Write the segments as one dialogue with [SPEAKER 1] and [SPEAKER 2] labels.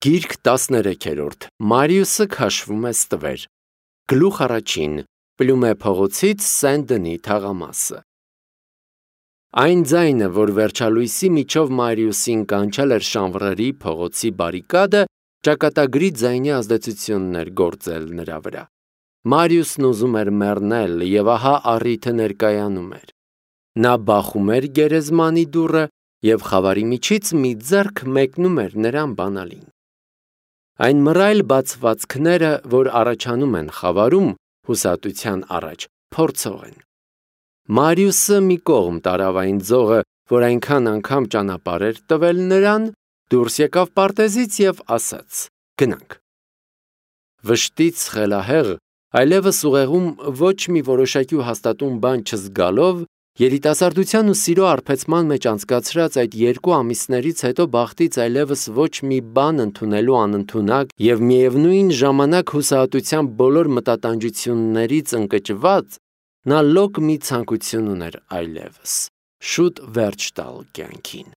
[SPEAKER 1] Գիրք 13-րդ Մարիուսը քաշվում է ստվեր Գլուխ առաջին Պլյումե փողոցից Սեն-Դնի թաղամասը Այն ձայնը, որ վերջալույսի միջով Մարիուսին կանչել էր Շանվռերի փողոցի բարիկադը, ճակատագրի ձայնի ազդեցությունն էր գործել նրա վրա։ Մարիուսն ուզում էր մեռնել, եւ ահա առիթը ներկայանում էր։ Նա բախում էր գերեզմանի դուռը, եւ խավարի միջից մի ձեռք մեկնում էր նրան բանալին։ Այն մռայլ բացվածքները, որ առաջանում են խավարում, հուսատության առաջ, փորձող են։ Մարիուսը մի կողմ տարավ այն ձողը, որ այնքան անգամ ճանապարհ էր տվել նրան, դուրս եկավ պարտեզից եւ ասաց. «Գնանք»։ Վշտից խելահեղ, այլևս ուղեղում ոչ մի որոշակի ու հաստատուն բան չզգալով, երիտասարդության ու սիրո արբեցման մեջ անցկացրած այդ 2 ամիսներից հետո բախտից այլևս ոչ մի բան ընդունելու անընդունակ եւ միևնույն ժամանակ հուսահատության բոլոր մտատանջություններից ընկճված, նա լոկ մի ցանկություն ուներ այլևս շուտ վերջ տալ կյանքին։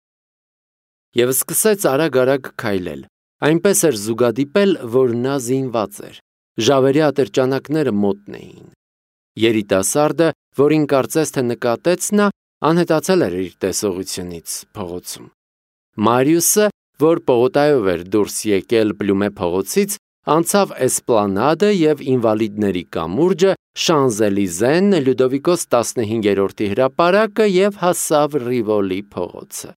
[SPEAKER 1] Եվ սկսեց արագ քայլել, այնպես էր զուգադիպել, որ նա զինված էր, ժավերի ատրճանակները մոտն էին։ Երիտասարդը, որին կարծես թե նկատեց նա, անհետացել էր իր տեսողությունից փողոցում։ Մարիուսը, որ պողոտայով էր դուրս եկել Պլյումե փողոցից, անցավ Էսպլանադը եւ Ինվալիդների կամուրջը, Շանզելիզեն, Լյուդովիկոս 15-րդի հրապարակը եւ հասավ Ռիվոլի փողոցը։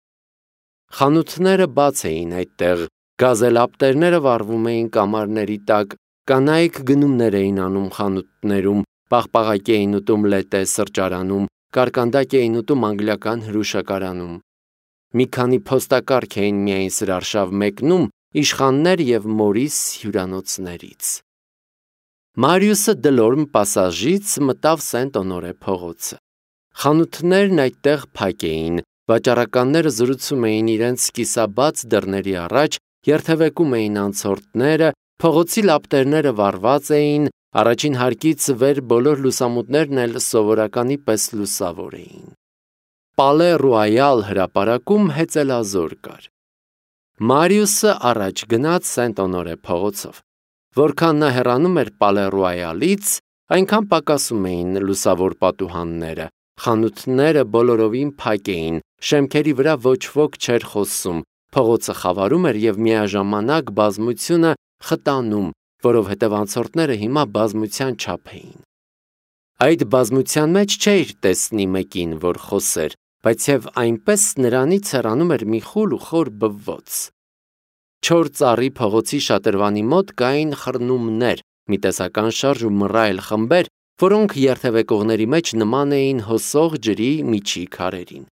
[SPEAKER 1] Խանութները բաց էին այդտեղ, գազելապտերները վառվում էին կամարների տակ, կանայք գնումներ էին անում խանութներում, պաղպաղակ էին ուտում լետե սրճարանում, կարկանդակ էին ուտում անգլիական հրուշակարանում։ Մի քանի փոստակառք էին միայն սրարշավ մեկնում իշխաններ եւ Մորիս հյուրանոցներից։ Մարիուսը Դլորմ պասաժից մտավ Սենտ-Օնորե փողոցը։ Խանութներն այդտեղ փակ էին, վաճառականները զրուցում էին իրենց կիսաբաց դռների առաջ, երթևեկում էին անցորդները, փողոցի լապտերները վառված էին, առաջին հարկից վեր բոլոր լուսամուտներն էլ սովորականի պես լուսավոր էին։ Պալե Ռոյալ հրապարակում հեծելազոր կար։ Մարիուսը առաջ գնաց Սենտ-Օնորե փողոցով։ Որքան նա հեռանում էր Պալե Ռոյալից, այնքան պակասում էին լուսավոր պատուհանները, խանութները բոլորովին փակ էին, շեմքերի վրա ոչ ոք չէր խոսում, փողոցը խավարում էր եւ միաժամանակ բազմությունը խտանում, որովհետեւ անցորդները հիմա բազմության չափ էին։ Այդ բազմության մեջ չէր տեսնի մեկին, որ խոսեր, բայց եւ այնպես նրանից հեռանում էր մի խուլ ու խոր բվոց։ Չոր ծառի փողոցի շատրվանի մոտ կային խռնումներ, մի տեսական շարժ ու մռայլ խմբեր, որոնք երթևեկողների մեջ նման էին հոսող ջրի միջի քարերին։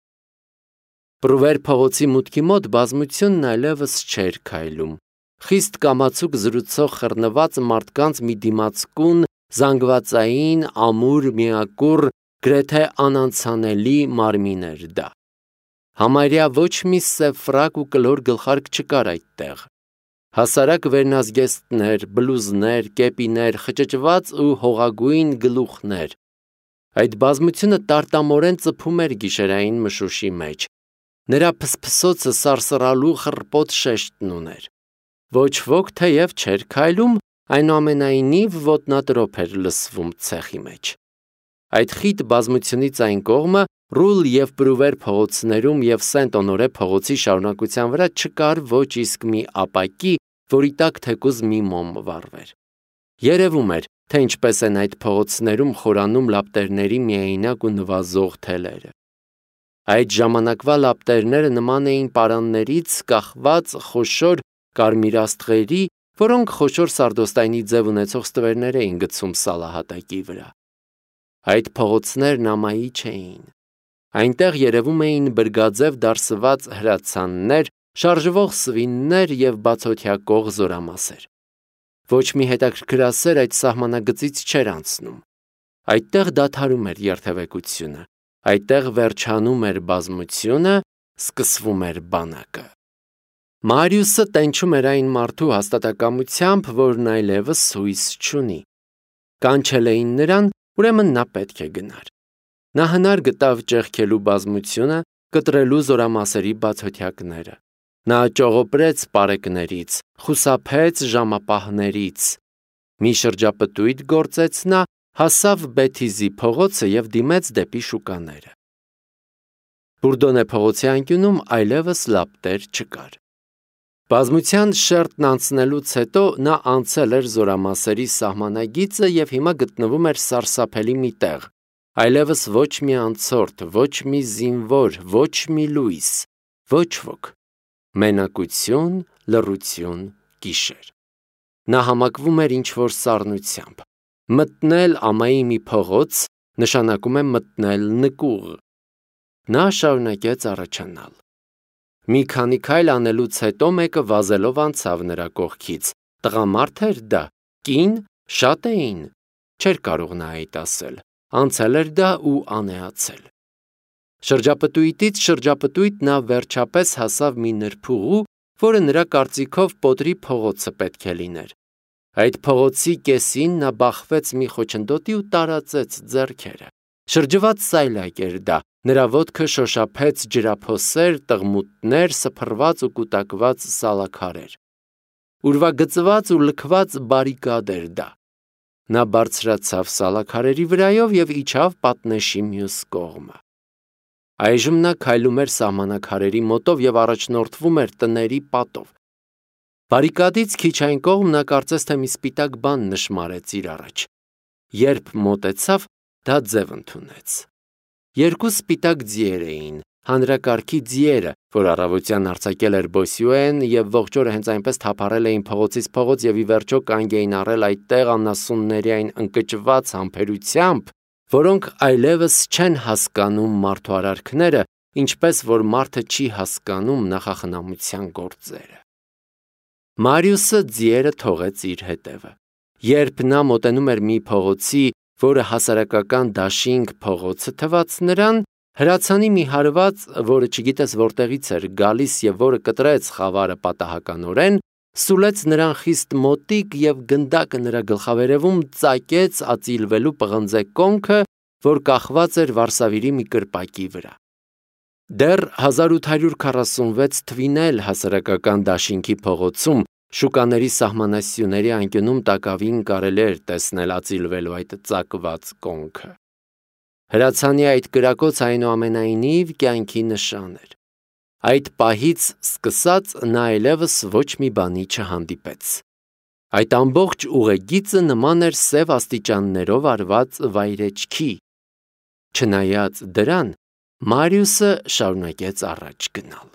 [SPEAKER 1] Պրուվեր փողոցի մուտքի մոտ բազմությունն այլևս չէր քայլում։ Խիստ կամացուկ զրուցող խռնված մարդկանց մի դիմացկուն, զանգվածային, ամուր, միակուռ, գրեթե անանցանելի մարմին էր դա։ Համարյա ոչ մի սև ֆրակ ու կլոր գլխարկ չկար այդտեղ։ Հասարակ վերնազգեստներ, բլուզներ, կեպիներ, խճճված ու հողագույն գլուխներ։ Այդ բազմությունը տարտամորեն ծփում էր գիշերային մշուշի մեջ։ Նրա փսփսոցը սարսռալու խռպոտ շեշտն ուներ։ Ոչ ոք թեև չէր քայլում, այնուամենայնիվ ոտնատրոփ էր լսվում ցեխի մեջ։ Այդ խիտ բազմությունից այն կողմը Ռուլ եւ Պրուվեր փողոցներում եւ Սենտ-Օնորե փողոցի շարունակության վրա չկար ոչ իսկ մի ապակի, որի տակ թեկուզ մի մոմ վառվեր։ Երևում էր, թե ինչպես են այդ փողոցներում խորանում լապտերների միայնակ ու նվազող թելերը։ Այդ ժամանակվա լապտերները նման էին պարաններից կախված խոշոր կարմիրաստղերի, որոնք խոշոր սարդոստայնի ձև ունեցող ստվերներ էին գցում սալահատակի վրա։ Այդ փողոցներն ամայի չէին։ Այնտեղ երևում էին բրգաձև դարսված հրացաններ, շարժվող սվիններ եւ բացօթյա զորամասեր։ Ոչ մի հետաքրքրասեր այդ սահմանագծից չէր անցնում։ Այդտեղ դադարում էր երթևեկությունը, այդտեղ վերջանում էր բազմությունը, սկսվում էր բանակը։ Մարիուսը տենչում էր այն մարդու հաստատակամությամբ, որն այլևս հույս չունի։ Կանչել էին նրան, ուրեմն նա պետք է գնար։ Նա հնար գտավ ճեղքելու բազմությունը, կտրելու զորամասերի բացօթյակները։ Նա ճողոպրեց պարեկներից, խուսափեց ժամապահներից։ Մի շրջապտույտ գործեց նա, հասավ Բեթիզի փողոցը և դիմեց դեպի շուկաները։ Բուրդոնե փողոցի անկյունում այլևս լապտեր չկար։ Բազմության շերտն անցնելուց հետո նա անցել էր զորամասերի սահմանագիծը և հիմա գտնվում էր սարսափելի մի տեղ, այլևս ոչ մի անցորդ, ոչ մի զինվոր, ոչ մի լույս, ոչ ոք, մենակություն, լռություն, գիշեր։ Նա համակվում էր ինչ-որ սառնությամբ։ Մտնել ամայի մի փողոց նշանակում է մտնել նկուղ։ Նա շարունակեց առաջանալ։ Մի քանի քայլ անելուց հետո մեկը վազելով անցավ նրա կողքից։ Տղամարդ էր դա, կին, շատ էին, չէր կարող նա այդ ասել, անցել էր դա ու անեացել։ Շրջապտույտից շրջապտույտ նա վերջապես հասավ մի նրբուղու, որը նրա կարծիքով Պոտրի փողոցը պետք է լիներ։ Այդ փողոցի կեսին նա բախվեց մի խոչընդոտի ու տարածեց ձեռքերը։ Շրջված սայլակ էր դա, նրա ոտքը շոշափեց ջրափոսեր, տղմուտներ, սփռված ու կուտակված սալաքարեր։ Ուրվագծված ու լքված բարիկադ էր դա։ Նա բարձրացավ սալաքարերի վրայով և իջավ պատնեշի մյուս կողմը։ Այժմ նա քայլում էր սահմանակարերի մոտով և առաջնորդվում էր տների պատով։ Բարիկադից քիչ այն կողմ նա կարծես թե մի սպիտակ բան նշմարեց իր առաջ։ Երբ մոտեցավ, դա ձև ընդունեց։ Երկու սպիտակ ձիեր էին, հանրակարգի ձիերը, որ առավոտյան արձակել էր Բոսյուեն և ողջ օրը հենց այնպես թափառել էին փողոցից փողոց և ի վերջո կանգ էին առել այդտեղ անասունների այն ընկճված համբերությամբ, որոնք այլևս չեն հասկանում մարդու արարքները, ինչպես որ մարդը չի հասկանում նախախնամության գործերը։ Մարիուսը ձիերը թողեց իր հետևը։ Երբ նա մոտենում էր մի փողոցի, որը հասարակական դաշինք փողոցը թվաց նրան, հրացանի մի հարված, որը չգիտես որտեղից էր գալիս և որը կտրեց խավարը պատահականորեն, սուլեց նրան խիստ մոտիկ և գնդակը նրա գլխավերևում ծակեց ածիլվելու պղնձե կոնքը, որ կախված էր վարսավիրի մի կրպակի վրա։ Դեռ 1846 թվին էլ հասարակական դաշինքի փողոցում շուկաների սահմանասյուների անկյունում տակավին կարելի էր տեսնել ածիլվելու այդ ծակված կոնքը։ Հրացանի այդ կրակոցը այնուամենայնիվ կյանքի նշան էր։ Այդ պահից սկսած նա այլևս ոչ մի բանի չհանդիպեց։ Այդ ամբողջ ուղեգիծը նման էր սև աստիճաններով արված վայրեջքի։ Չնայած դրան, Մարիուսը շարունակեց առաջ գնալ։